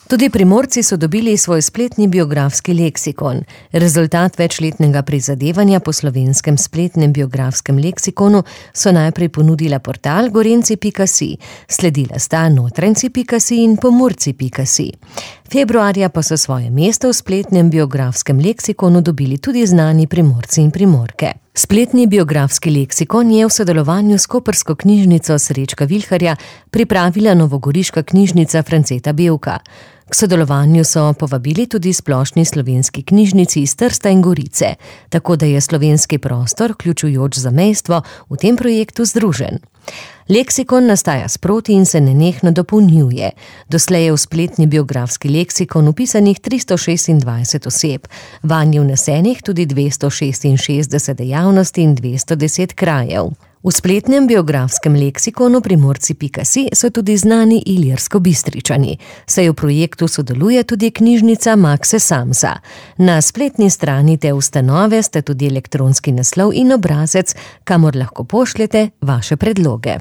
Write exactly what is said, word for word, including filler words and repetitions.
Tudi Primorci so dobili svoj spletni biografski leksikon. Rezultat večletnega prizadevanja po slovenskem spletnem biografskem leksikonu so najprej ponudila portal gorenci pika si, sledila sta notranjci pika si in pomurci pika si. Februarja pa so svoje mesto v spletnem biografskem leksikonu dobili tudi znani Primorci in Primorke. Spletni biografski leksikon je v sodelovanju s koprsko knjižnico Srečka Vilharja pripravila novogoriška knjižnica Franceta Bevka. K sodelovanju so povabili tudi splošni slovenski knjižnici iz Trsta in Gorice, tako da je slovenski prostor, vključujoč zamejstvo, v tem projektu združen. Leksikon nastaja sproti in se nenehno dopolnjuje. Doslej je v spletni biografski leksikon vpisanih tristo šestindvajset oseb, vanj je vnesenih tudi dvesto šestinšestdeset dejavnosti in dvesto deset krajev. V spletnem biografskem leksikonu Primorci pika si so tudi znani Ilirsko-Bistričani, saj v projektu sodeluje tudi knjižnica Makse Samsa. Na spletni strani te ustanove sta tudi elektronski naslov in obrazec, kamor lahko pošljete vaše predloge.